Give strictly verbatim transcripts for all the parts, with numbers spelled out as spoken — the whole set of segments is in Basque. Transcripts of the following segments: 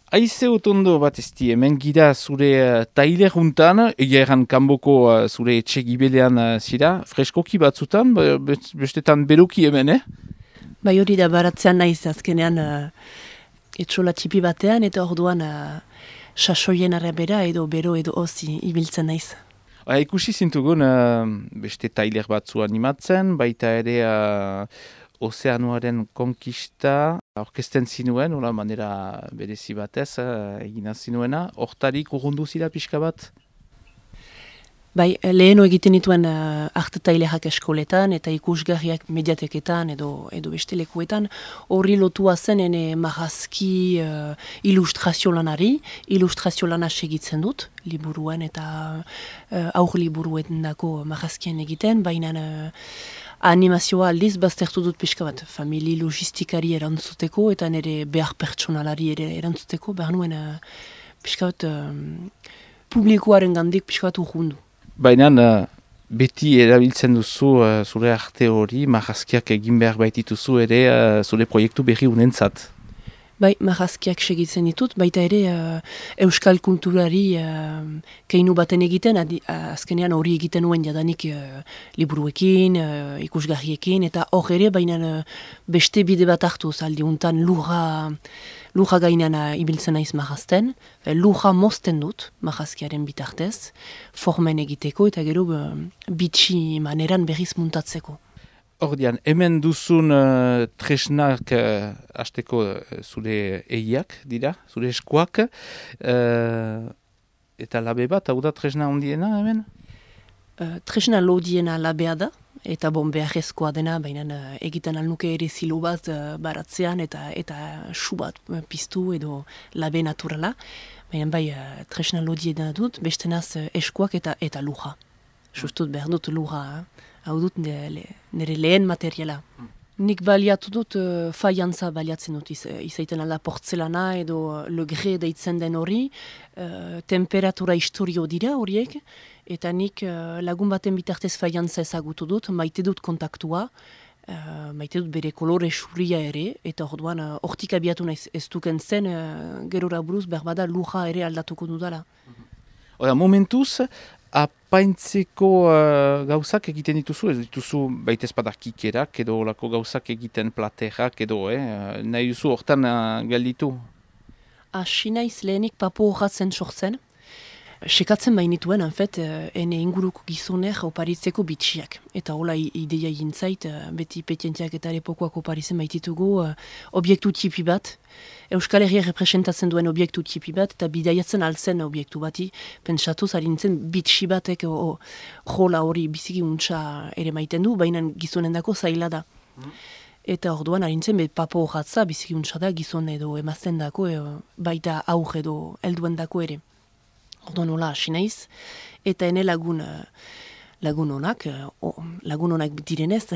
Aize otondo bat ezti, hemen gira zure uh, taileruntan, egia erran kanboko uh, zure etxe gibelean uh, zira, freskoki batzutan, be- be- bestetan beruki hemen, eh? Bai hori da baratzean naiz azkenean uh, etxola txipi batean eta orduan uh, sasoien arabera edo bero edo ozi ibiltzen naiz. Ha, ikusi zintugun uh, beste tailer batzu animatzen, baita ere uh, ozeanuaren konkista orkesten zinuen, ola manera berezi batez uh, egina zinuena, hortarik urrundu zira pixka bat? Bai, leheno egiten dituen uh, arte tailerak eskoletan eta ikusgarriak mediateketan edo, edo beste lekuetan, horri lotua zen ene marrazki uh, ilustrazio lanari, ilustrazio lana segitzen dut, liburuan eta uh, aur liburuen dako marrazkien egiten, baina uh, animazioa aldiz baztertu dut pixka bat, famili logistikari erantzuteko eta nire behar pertsonalari ere erantzuteko, behar nuen uh, pixka bat uh, publikoaren gandik pixka bat urrundu. Baina uh, beti erabiltzen duzu uh, zure arte hori, marrazkiak egin behar baitituzu ere uh, zure proiektu berri unentzat. Bai, marrazkiak segitzen ditut, baita ere uh, euskal kulturari uh, keinu baten egiten, adi, uh, azkenean hori egiten nuen jadanik uh, liburuekin, uh, ikusgarriekin, eta hor ere, baina uh, beste bide bat hartu, zaldi untan lurra, lurra gainean uh, ibiltzen naiz marrazten, lurra mozten dut marrazkiaren bitartez, formen egiteko eta gero uh, bitxi maneran berriz muntatzeko. Ordian, hemen duzun uh, tresnak uh, hasteko uh, zure eiak dira, zure eskuak, uh, eta labe bat, hau da tresna ondiena hemen? Uh, tresna lodiena labea da, eta bon beharrezkoa dena, baina uh, egiten alnuke ere zilo bat uh, baratzean eta eta su bat uh, piztu edo labe naturala, baina bai uh, tresna lodiena dut, bestenaz uh, eskuak eta eta luja. Justut behar dut luja, eh? Hau dut nire, nire lehen materiala. Nik baliatu dut uh, faiantza baliatzen dut, iz, izaiten ala portzelana edo uh, le gre deitzen den hori, uh, temperatura historio dira horiek, eta nik uh, lagun baten bitartez faiantza ezagutu dut, maite dut kontaktua, uh, maite dut bere kolore xuria ere, eta orduan uh, hortik abiatu naiz ez duken zen, uh, gerora buruz berbada luja ere aldatuko dudala. Ora, momentuz, apaintzeko uh, gauzak egiten dituzu, ez dituzu baitez badakikerak edo olako gauzak egiten platerak edo, eh? Nahi duzu hortan uh, galditu? Asi naiz lehenik papo horratzen sortzen. Sekatzen bainituen, en fet, ene inguruko gizoner oparitzeko bitxiak. Eta hola ideia gintzait, beti petientiak eta lepokoak oparitzen baititugu uh, obiektu tipi bat. Euskal Herria representatzen duen obiektu tipi bat, eta bidaiatzen altzen obiektu bati, pentsatuz harintzen bitxi batek o, jola hori biziki untsa ere maiten du, baina gizonendako zaila da. Mm. Eta orduan harintzen bet papo horratza biziki untsa da gizon edo emazten dako, e, baita aur edo helduendako ere. Orduan hola hasi naiz, eta ene lagun, lagun honak, lagun honak direnez,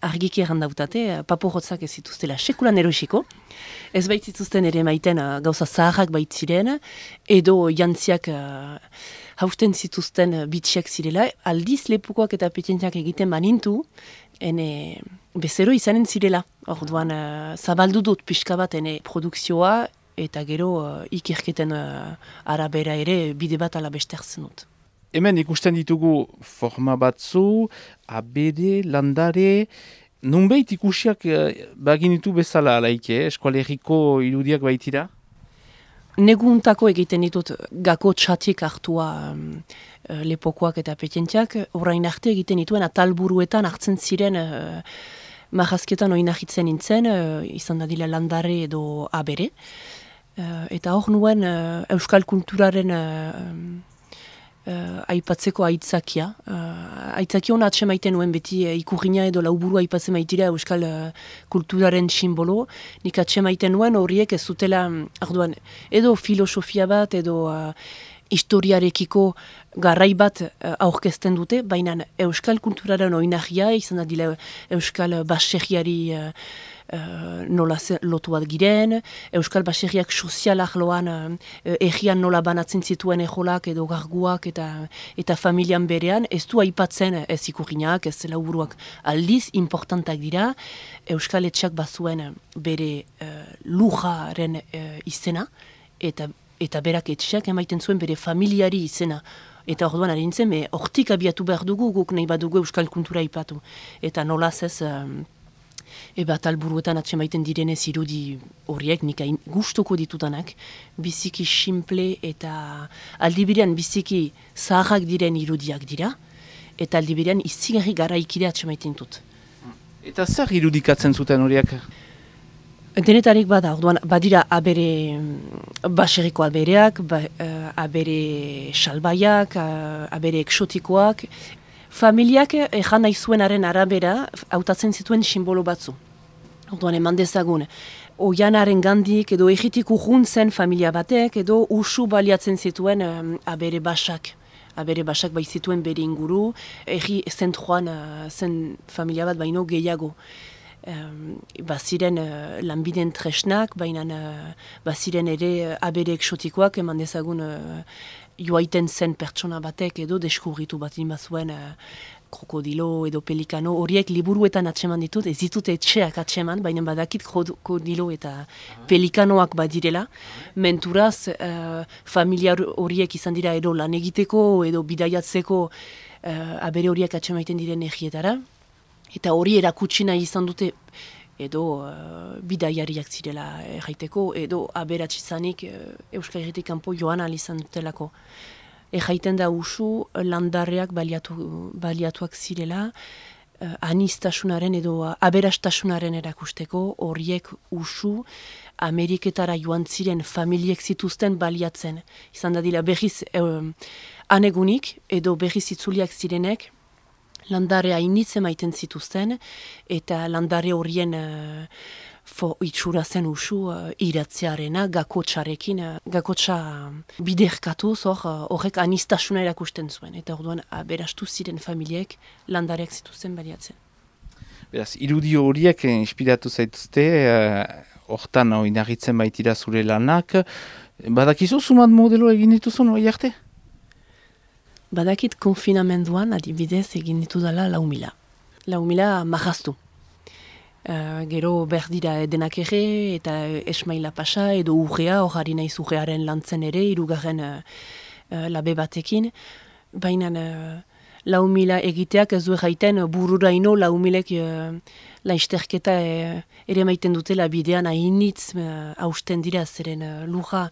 argiki errandautate, papo hotzak ez zituztela sekulan erosiko, ez baitzituzten ere maiten gauza zaharrak baitziren, edo jantziak uh, hausten zituzten bitxiak zirela, aldiz lepukoak eta petientiak egiten banintu, ene bezero izanen zirela. Orduan uh, zabaldu dut pixka bat ene produkzioa, eta gero uh, ikerketen uh, arabera ere bide bat ala bestertzen dut. Hemen ikusten ditugu forma batzu, abere, landare, nunbait ikusiak uh, baginitu bezala alaike, eh? Eskualeriko irudiak baitira? Neguntako egiten ditut gako txatik hartua um, lepokoak eta petientiak, orain arte egiten dituen atalburuetan hartzen ziren uh, marrazketan oinahitzen nintzen, uh, izan dadila landare edo abere. Uh, eta hor nuen uh, euskal kulturaren uh, uh, aipatzeko aitzakia. Uh, aitzakia hona atse maiten nuen beti uh, ikurriña edo lauburu aipatzen maitira euskal uh, kulturaren simbolo. Nik atse maiten nuen horiek ez zutela arduan, edo filosofia bat edo uh, historiarekiko garrai bat uh, aurkezten dute, baina euskal kulturaren oinahia izan da dila euskal baserriari uh, Uh, nola lotu bat giren, euskal baserriak sozialak loan uh, egian nola banatzen zituen ejolak edo garguak eta eta familian berean, ez du aipatzen ez ikurriñak, ez lauburuak aldiz importantak dira, euskal etxak bazuen bere uh, lujaren uh, izena, eta, eta berak etxeak emaiten zuen bere familiari izena. Eta orduan ari nintzen, me hortik abiatu behar dugu, guk nahi badugu euskal kultura ipatu. Eta nolaz ez, um, eba talburuetan atsemaiten direnez irudi horiek, nik hain gustuko ditudanak, biziki simple eta aldibirean biziki zaharrak diren irudiak dira, eta aldibirean izigarri garaikide atsemaiten dut. Eta zer irudikatzen zuten horiek? Denetarik bada, orduan, badira abere baseriko abereak, ba, uh, abere salbaiak, uh, abere eksotikoak. Familiak ejan nahi zuenaren arabera hautatzen zituen simbolo batzu. Orduan, eman dezagun, oianaren gandik edo egitik urruntzen familia batek edo usu baliatzen zituen um, abere basak. Abere basak bai zituen bere inguru, egi zentroan uh, zen familia bat baino gehiago. Um, baziren uh, lanbiden tresnak, baina uh, baziren ere uh, abere eksotikoak eman dezagun uh, joaiten zen pertsona batek edo deskurritu bat bazuen uh, krokodilo edo pelikano, horiek liburuetan atseman ditut, ez ditut etxeak atseman, baina badakit krokodilo eta pelikanoak badirela. Menturaz, uh, familia horiek izan dira edo lan egiteko edo bidaiatzeko uh, abere horiek atsemaiten diren egietara. Eta hori erakutsi nahi izan dute edo uh, bidaiariak zirela erraiteko, edo aberatsi izanik uh, Euskal Herritik kanpo joan ahal izan dutelako. Erraiten da usu landarreak baliatu, baliatuak zirela, uh, anistasunaren edo uh, aberastasunaren erakusteko, horiek usu Ameriketara joan ziren familiek zituzten baliatzen. Izan da dira berriz uh, anegunik edo berriz itzuliak zirenek, landare hainitze maiten zituzten, eta landare horien uh, fo itxura zen usu uh, iratzearena, gakotxarekin, uh, gakotxa biderkatuz hor, uh, horrek anistasuna erakusten zuen. Eta orduan aberastu ziren familiek landareak zituzten baliatzen. Beraz, irudio horiek inspiratu zaituzte, hortan uh, oinarritzen baitira zure lanak. Badakizu sumat modelo egin dituzun hori arte? Badakit konfinamenduan adibidez egin ditu dela lau mila. Lau mila marraztu. Uh, gero berdira denak ere eta esmaila pasa edo urrea, horari naiz urrearen lantzen ere, irugarren uh, uh, labe batekin. Baina uh, lau mila egiteak ez du erraiten bururaino lau milek uh, laizterketa uh, ere maiten dutela bidean hainitz uh, hausten dira zeren uh, lurra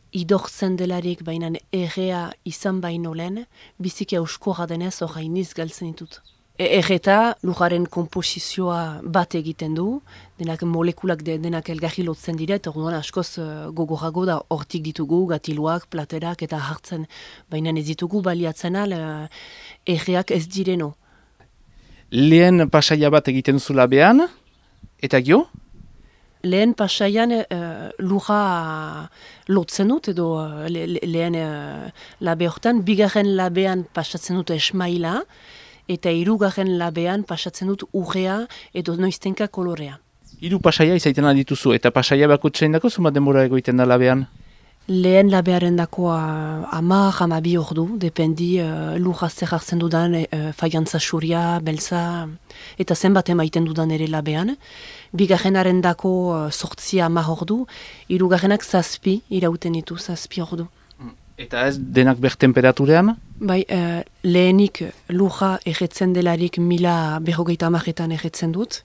idortzen delarik bainan errea izan baino lehen, biziki auskorra denez hor hainiz galtzen ditut. E erreta lujaren komposizioa bat egiten du, denak molekulak de, denak elgarri lotzen dira, eta orduan askoz uh, gogorago da hortik ditugu, gatiluak, platerak eta hartzen, baina ez ditugu baliatzen al uh, erreak ez direno. Lehen pasaia bat egiten zula behan, eta gio? Lehen pasaian uh, lurra lotzen dut, edo uh, le, le, lehen uh, labe hortan, bigarren labean pasatzen dut esmaila, eta hirugarren labean pasatzen dut urrea edo noiztenka kolorea. Hiru pasaia izaiten dituzu, eta pasaia bakutsein dako zumat denbora egoiten da labean? Lehen labearen dakoa ama, hamabi ordu, dependi uh, lurra zer hartzen dudan, uh, faiantza xuria, beltza, eta zenbat emaiten dudan ere labean. Bigarrenaren dako uh, sortzia ama ordu, hirugarrenak zazpi, irauten ditu zazpi ordu. Eta ez denak ber temperaturean? Bai, uh, lehenik lurra erretzen delarik mila berrogeita amaretan erretzen dut.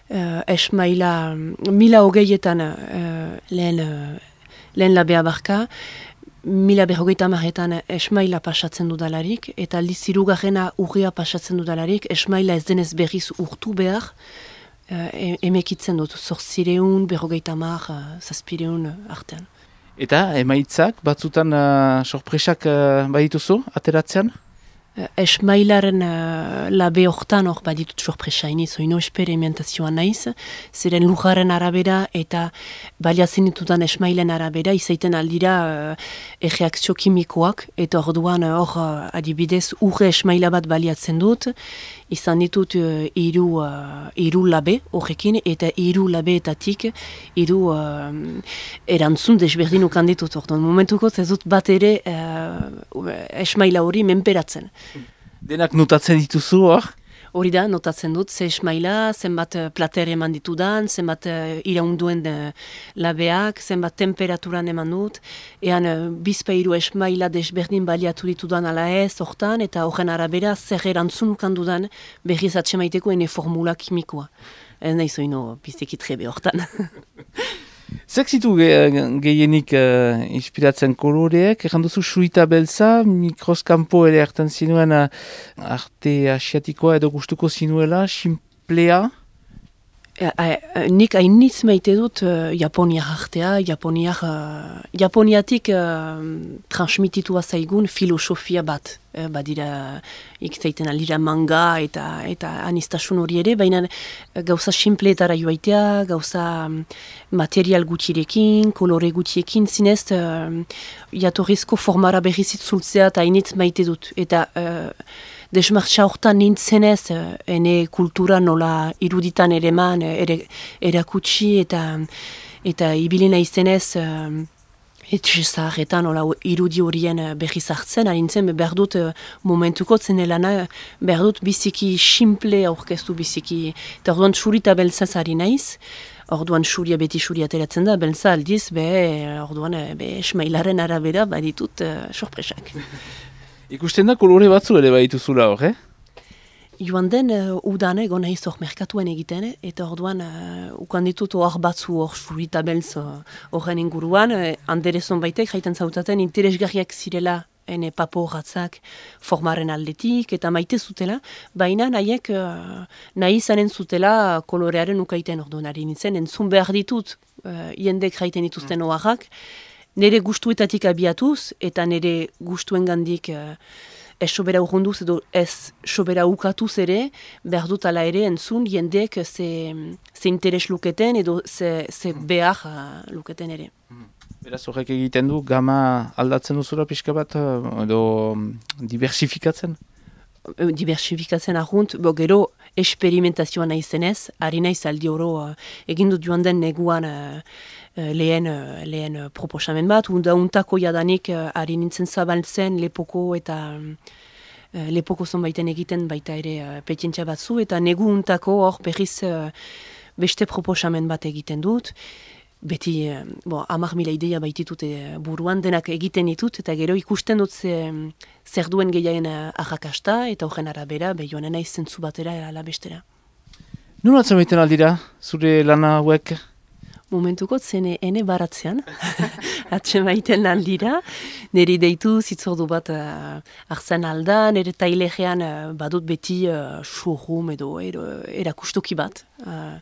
Uh, esmaila mila hogeietan uh, lehen... Uh, Lehen labea barka, mila berrogeita amaretan esmaila pasatzen dudalarik, eta aldiz hirugarrena urria pasatzen dudalarik, esmaila ez denez berriz urtu behar, e emekitzen dut, zortzireun, berrogeita amar, zazpireun artean. Eta emaitzak, batzutan uh, sorpresak uh, badituzu, ateratzean? Esmailaren uh, labe hortan hor baditut sorpresa iniz, oino esperimentazioa naiz, ziren lujaren arabera eta baliatzen ditudan esmailen arabera, izaiten aldira uh, erreakzio kimikoak, eta orduan hor uh, adibidez urre esmaila bat baliatzen dut, izan ditut uh, iru, uh, iru labe horrekin, eta iru labeetatik iru uh, erantzun desberdin ukan ditut, orduan momentuko ez dut bat ere uh, esmaila hori menperatzen. Denak notatzen dituzu hor? Hori da, notatzen dut, ze esmaila, zenbat uh, plater eman ditudan, zenbat uh, iraunduen uh, labeak, zenbat temperaturan eman dut, ean uh, bizpairu esmaila desberdin baliatu ditudan ala ez, hortan, eta horren arabera zer erantzunukan dudan berriz atsemaiteko ene formula kimikoa. Ez nahi zoino biziki trebe hortan. Zek zitu ge, gehienik uh, inspiratzen koloreek, erran duzu surita beltza, mikroskampo ere hartan zinuen uh, arte asiatikoa edo gustuko zinuela, simplea? E, a, nik hainitz maite dut uh, Japoniak artea, Japoniak, uh, Japoniatik uh, transmititua zaigun filosofia bat. Uh, badira, ikzaiten alira manga eta eta anistasun hori ere, baina uh, gauza simpleetara joaitea, gauza um, material gutxirekin, kolore gutxiekin, zinez, uh, jatorrizko formara berrizit zultzea eta hainitz maite dut. Eta uh, desmartxa hortan nintzenez, uh, ene kultura nola iruditan ere man, ere, erakutsi eta eta ibilina izenez, uh, etxe zaharretan nola irudi horien uh, berriz hartzen, harintzen behar dut uh, momentuko zenelana, behar dut biziki simple aurkeztu biziki, eta orduan txurita beltzaz ari naiz, orduan xuria beti xuria ateratzen da, beltza aldiz, be, orduan be, esmailaren arabera baditut uh, sorpresak. Ikusten da kolore batzu ere baituzula hor, eh? Joan den, uh, udan egon nahiz hor merkatuen egiten, eta orduan uh, ukan ditut hor batzu hor surita beltz horren uh, inguruan, uh, anderezon baitek jaiten zautaten interesgarriak zirela ene papo horratzak formaren aldetik, eta maite zutela, baina nahiek uh, nahi izanen zutela kolorearen ukaiten orduan ari nintzen, entzun behar ditut uh, jendek jaiten dituzten mm. oharrak, nire gustuetatik abiatuz, eta nire gustuen gandik uh, ez sobera urrunduz edo ez sobera ukatuz ere, behar dut ala ere entzun jendek ze, ze interes luketen edo ze, ze behar uh, luketen ere. Beraz horrek egiten du, gama aldatzen duzula pixka bat, edo diversifikatzen? Diversifikatzen ahunt, bo gero experimentazioa nahi zenez, ari naiz aldi oro uh, egin dut joan den neguan uh, lehen, uh, lehen uh, proposamen bat, unda untako jadanik uh, ari nintzen zabaltzen lepoko eta uh, lepoko zonbaiten egiten baita ere uh, petientzia batzu, eta negu untako hor berriz uh, beste proposamen bat egiten dut. Beti, uh, bo, hamar mila ideia baititut uh, buruan denak egiten ditut, eta gero ikusten dut ze, zer duen gehiagen uh, arrakasta, eta horren arabera, behioan naiz zentzu batera ala bestera. Nun atzen baiten aldira, zure lana hauek? Momentuko zene ene baratzean, atsen baiten aldira, niri deitu zitzordu bat uh, hartzen alda, nire tailegean uh, badut beti uh, showroom edo erakustoki bat, uh,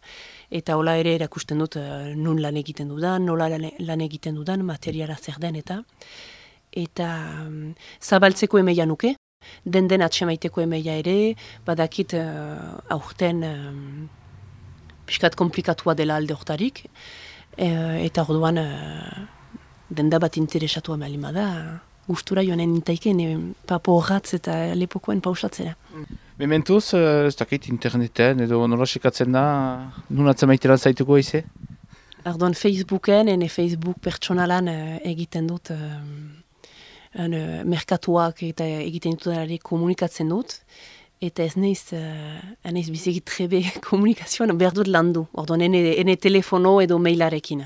eta hola ere erakusten dut uh, nun lan egiten dudan, nola lan egiten dudan, materiala zer den eta eta um, zabaltzeko emeia nuke, den den atsemaiteko emeia ere, badakit uh, aurten um, piskat komplikatua dela alde hortarik, e, eta orduan uh, denda bat interesatu amalima da, gustura joanen intaiken e, papo horratz eta lepokoen pausatzera. Mementuz, ez dakit interneten edo nola sekatzen da, nun atzamaitela zaituko ize? Orduan Facebooken, ene Facebook pertsonalan uh, egiten dut, uh, un, uh, merkatuak eta egiten dut komunikatzen dut, eta ez naiz, uh, naiz biziki trebe komunikazioan behar dut landu, orduan ene, ene telefono edo mailarekin.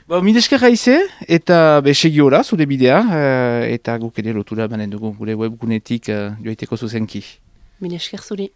Ba, mideskerra ize, eta besegi ora, zure bidea, uh, eta guk ere lotura banen dugu gure webgunetik uh, joaiteko zuzenki. Milesker zuri.